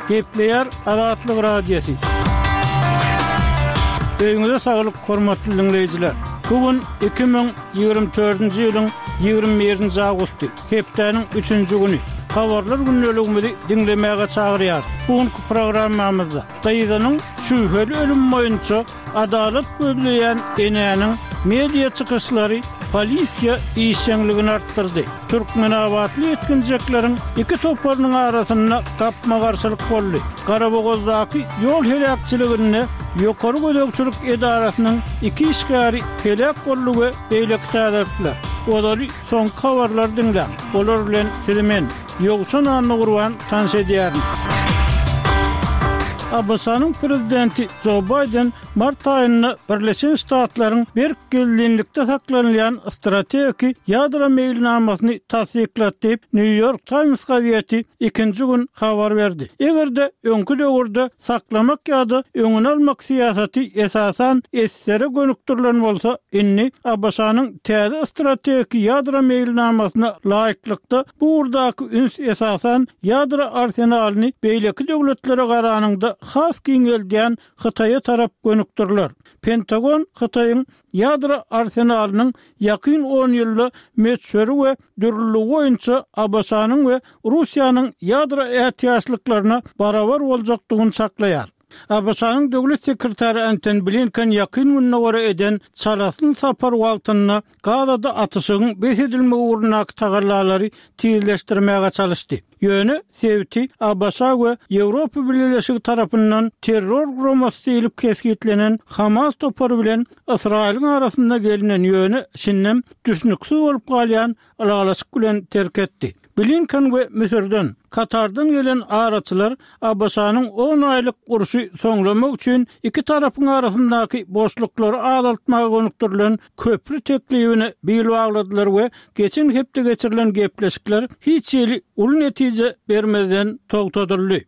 Gepleýär Azatlyk Radiosy. Öýüňize saglyk, hormatly diňleýjiler! Bu gün 2024-nji ýylyň 21-nji awgusty, hepdäniň üçünji güni. Habarlar gündeligimizi diňlemäge çagyrýarys. Bu günki programmamyzda gyzynyň şübheli ölümi boýunça Adalat gözleýän enäniň media çykyşlary polisiýa işjeňligini artdyrdy. Türkmenabatly ýetginjekleriň iki toparynyň arasynda gapma-garşylyk boldy. Garabogazdaky ýol heläkçiliginde ýokary gözegçilik edarasynyň iki işgäri heläk boldy we beýleki täzelikler. Ozaly soňky habarlary diňläň. Olar bilen sizi men, Ýowşan Annagurban tanyş edýärin. ABŞ-nyň prezidenti Jo Baýden mart aýynda Birleşen Ştatlaryň berk gizlinlikde saklanylýan strategiki ýadro meýilnamasyny tassyklady diýip, Nýu-Ýork Taýms gazeti ikinji gün habar berdi. Eger-de öňki döwürde saklamak ýa-da öňüni almak syýasaty esasan ssr-e gönükdirilen bolsa, indi ABŞ-nyň täze strategiki ýadro meýilnamasyna laýyklykda bu ugurdaky üns esasan ýadro arsenalyny beýleki döwletlere garanyňda has giňeldýän Hytaýa tarap gönükdiriler. Pentagon Hytaýyň ýadro arsenalynyň ýakyn on ýylda möçberi we dürlüligi boýunça ABŞ-nyň we Russiýanyň ýadro ätiýaçlyklaryna barabar boljakdygyny çaklaýar. ABŞ-nyň Döwlet sekretary Antony Blinken Ýakyn Gündogara eden çalasyn sapary wagtynda Gazada atyşygyň bes edilmegi ugrundaky tagallalary tizleşdirmäge çalyşdy. Ýöne sebiti ABŞ we Ýewropa Bileleşigi tarapyndan terror guramasy diýlip kesgitlenen Hamas topary bilen Ysraýylyň arasynda gelnen ýöne şindem düşnüksiz bolup galýan ylalaşyk bilen terk etdi. Blinken we Müsürden, Katardan gelen araçylar ABŞ-nyň on aýlyk urşy soňlamak üçin iki tarapyň arasyndaky boşluklary azaltmaga gönükdirilen köpri teklibine bil bagladylar we geçen hepde geçirilen gepleşikler hiç hili uly netije bermezden togtadyldy.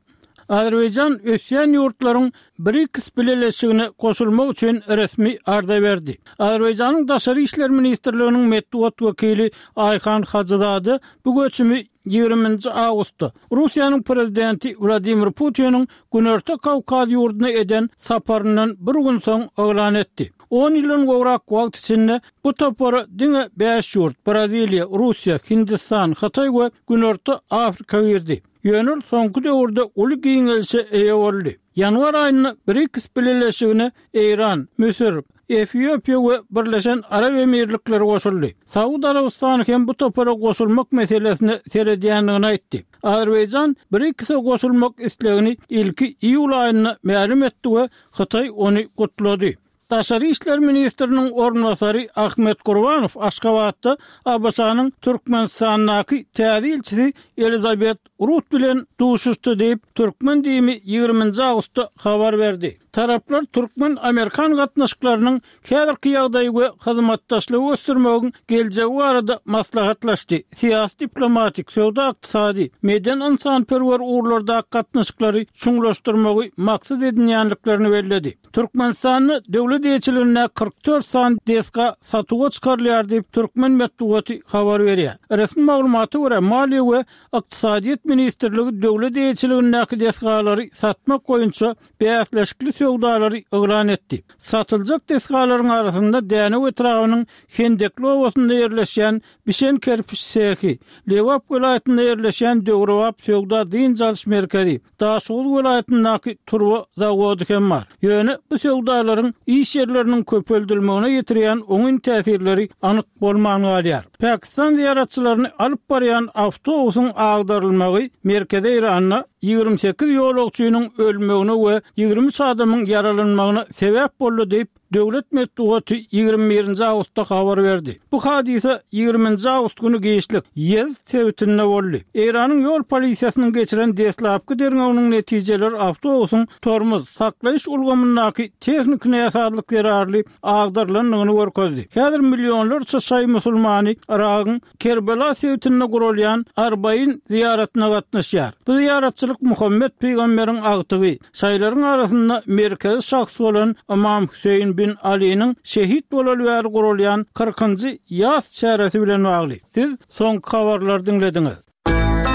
Azerbaýjan ösýän ýurtlaryň BRICS bileleşigine goşulmak üçin resmi arza berdi. Azerbaýjanyň Daşary işler ministrliginiň metbugat wekili Aýhan Hajyzade bu göçümi ýigriminji awgustda Russiýanyň Prezidenti Wladimir Putiniň Günorta Kawkaz ýurduna eden saparyndan bir gün soň yglan etdi. On ýyldan gowrak wagt içinde bu topara diňe bäş ýurt, Braziliýa, Russiýa, Hindistan, Hytaý we Günorta Afrika girdi. Ýöne ol soňky döwürde uly giňelişe eýe boldy. Ýanwar aýynda BRICS bileleşigine Eýran, Müsür, Efiopiýa we Birleşen Arap Emirlikleri goşuldy. Saud Arabystany hem bu topara goşulmak meselesine seredýändigini aýtdy. Azerbaýjan BRICS-e goşulmak islegini ilki iýul aýynda mälim etdi we Hytaý ony gutlady. Daşary işler ministriniň orunbasary Ahmet Gurbanow Aşgabatda ABŞ-nyň Türkmenistandaky täze ilçisi Elizabet Rut bilen duşuşdy diýip, türkmen DIM-i ýigriminji awgustda habar berdi. Taraplar türkmen-amerikan gatnaşyklarynyň häzirki ýagdaýy we hyzmatdaşlygy ösdürmegiň geljegi barada maslahatlaşdy, syýasy-diplomatik, söwda-ykdysady, medeni-ynsanperwer ugurlardaky gatnaşyklary çuňlaşdyrmagy maksat edinýändiklerini belledi. Türkmenistanda döwlet eýeçiligindäki 44 sany desga satuwa çykarylýar diýip, türkmen metbugaty habar berýär. Resmi maglumata görä, Maliýe we ykdysadyýet ministrligi döwlet eýeçiligindäki desgalary satmak boýunça bäsleşikli söwdalary yglan etdi. Satyljak desgalaryň arasynda Dänew etrabynyň Hendekli obasynda ýerleşýän bişen kerpiç sehi, Lebap welaýatynda ýerleşýän döwrebap söwda-dynç alyş merkezi, Daşoguz welaýatyndaky turba zawody hem bar. Ýöne bu söwdalaryň iş ýerleriniň köpeldilmegine ýetirýän oňyn täsirleri anyk bolman galýar. Pakistan zyýaratçylaryny alyp barýan awtobusyň agdarylmagy Merkezi Eýranda 28 ýolagçynyň ölmegine we 23 adamyň ýaralanmagyna sebäp boldy diýip, Döwlet metbugaty 21-nji awgustda habar berdi. Bu hadysa 20-nji awgust güni giçlik Ýezd sebitinde boldy. Eýranyň ýol polisiýasynyň geçiren deslapky derňewiniň netijeleri awtobusyň tormoz, saklaýyş ulgamyndaky tehniki näsazlyk zerarly agdarylandygyny görkezdi. Häzir millionlarça şaýy musulmany Yragyň Kerbela sebitinde guralýan Arbain zyýaratyna gatnaşýar. Bu zyýaratçylyk Muhammet pygamberiň agtygy, şaýylaryň arasynda merkezi şahs bolan Ymam Hüseýin bin Alynyň şehit bolaly bäri guralýan kyrkynjy ýas çäresi bilen bagly. Siz soňky habarlary diňlediňiz.